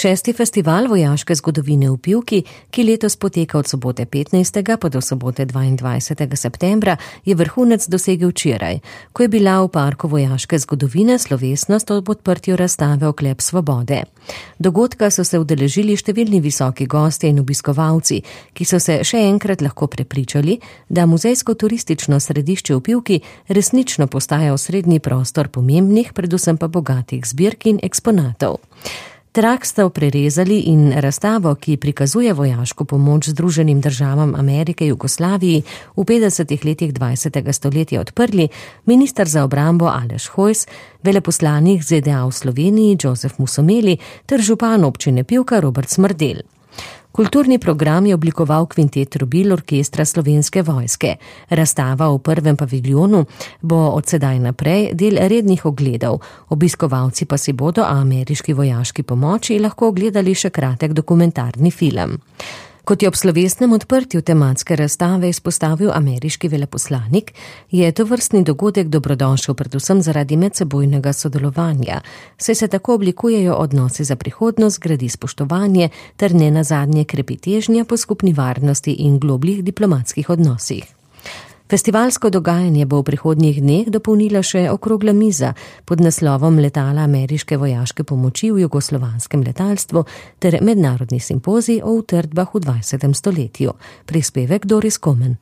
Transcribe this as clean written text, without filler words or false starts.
6. festival vojaške zgodovine v Pivki, ki letos poteka od sobote 15. pa do sobote 22. septembra, je vrhunec dosegel včeraj, ko je bila v parku vojaške zgodovine slovesnost ob odprtju razstave Oklep svobode. Dogodka so se udeležili številni visoki gostje in obiskovalci, ki so se še enkrat lahko prepričali, da muzejsko-turistično središče v Pivki resnično postaja osrednji prostor pomembnih, predvsem pa bogatih zbirk in eksponatov. Trak sta prerezali in razstavo, ki prikazuje vojaško pomoč Združenim državam Amerike Jugoslaviji v 50. letih 20. stoletja odprli minister za obrambo Aleš Hojs, veleposlanik ZDA v Sloveniji Joseph Musomeli ter župan občine Pivka Robert Smrdelj. Kulturni program je oblikoval kvintet trobil orkestra Slovenske vojske. Razstava v prvem paviljonu bo od sedaj naprej del rednih ogledov. Obiskovalci pa si bodo o ameriški vojaški pomoči lahko ogledali še kratek dokumentarni film. Kot je ob slovesnem odprtju tematske razstave izpostavil ameriški veleposlanik, je tovrstni dogodek dobrodošel predvsem zaradi medsebojnega sodelovanja, saj se tako oblikujejo odnosi za prihodnost, gradi spoštovanje ter nenazadnje krepi težnja po skupni varnosti in globljih diplomatskih odnosih. Festivalsko dogajanje bo v prihodnjih dneh dopolnila še okrogla miza pod naslovom Letala ameriške vojaške pomoči v jugoslovanskem letalstvu ter mednarodni simpozij o utrdbah v 20. stoletju. Prispevek Doris Komen.